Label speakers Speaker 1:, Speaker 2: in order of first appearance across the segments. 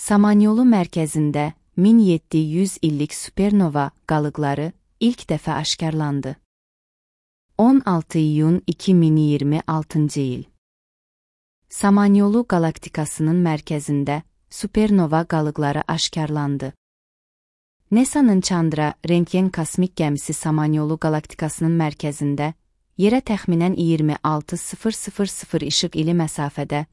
Speaker 1: Samanyolu mərkəzində 1700 illik supernova qalıqları ilk dəfə aşkarlandı. 16 iyun 2026 il. Samanyolu qalaktikasının mərkəzində supernova qalıqları aşkarlandı. NASA'nın Chandra rentgen kosmik gəmisi Samanyolu qalaktikasının mərkəzində yerə təxminən 26,000 işıq ili məsafədə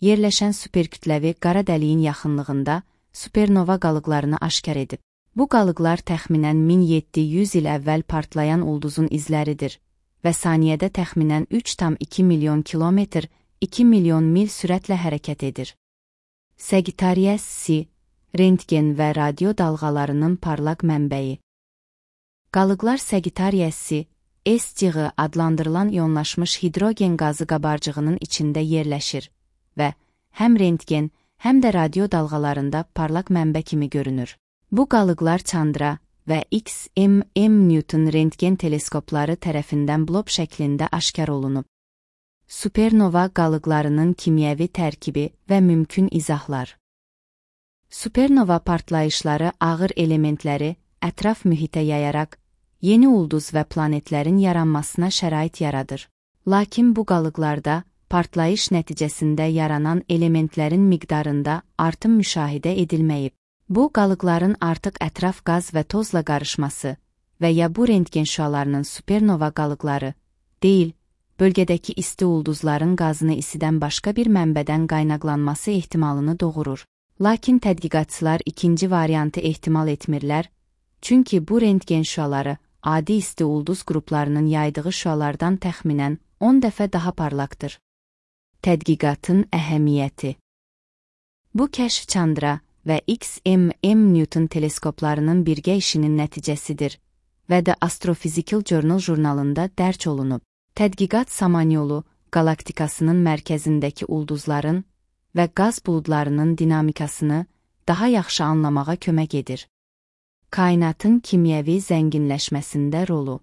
Speaker 1: yerləşən superkütləvi qara dəliyin yaxınlığında supernova qalıqlarını aşkar edib. Bu qalıqlar təxminən 1700 il əvvəl partlayan ulduzun izləridir və saniyədə təxminən 3,2 milyon kilometr, 2 milyon mil sürətlə hərəkət edir. Sagittarius C rentgen və radio dalğalarının parlaq mənbəyi. Qalıqlar Sagittarius C S-cığı adlandırılan iyonlaşmış hidrogen qazı qabarcığının içində yerləşir və həm rentgen, həm də radio dalğalarında parlaq mənbə kimi görünür. Bu qalıqlar Chandra və XMM Newton rentgen teleskopları tərəfindən blob şəklində aşkar olunub. Supernova qalıqlarının kimyəvi tərkibi və mümkün izahlar. Supernova partlayışları ağır elementləri ətraf mühitə yayaraq, yeni ulduz və planetlərin yaranmasına şərait yaradır. Lakin bu qalıqlarda partlayış nəticəsində yaranan elementlərin miqdarında artım müşahidə edilməyib. Bu qalıqların artıq ətraf qaz və tozla qarışması və ya bu rentgen şüalarının supernova qalıqları deyil, bölgədəki isti ulduzların qazını isidən başqa bir mənbədən qaynaqlanması ehtimalını doğurur. Lakin tədqiqatçılar ikinci variantı ehtimal etmirlər, çünki bu rentgen şüaları adi isti ulduz qruplarının yaydığı şüalardan təxminən 10 dəfə daha parlaqdır. Tədqiqatın əhəmiyyəti. Bu kəşf Chandra və XMM Newton teleskoplarının birgə işinin nəticəsidir və də Astrophysical Journal jurnalında dərc olunub. Tədqiqat Samanyolu qalaktikasının mərkəzindəki ulduzların və qaz buludlarının dinamikasını daha yaxşı anlamağa kömək edir. Kainatın kimyəvi zənginləşməsində rolu.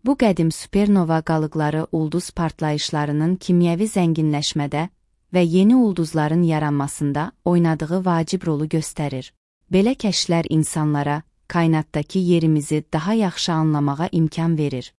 Speaker 1: Bu qədim supernova qalıqları ulduz partlayışlarının kimyəvi zənginləşmədə və yeni ulduzların yaranmasında oynadığı vacib rolu göstərir. Belə kəşflər insanlara kainatdakı yerimizi daha yaxşı anlamağa imkan verir.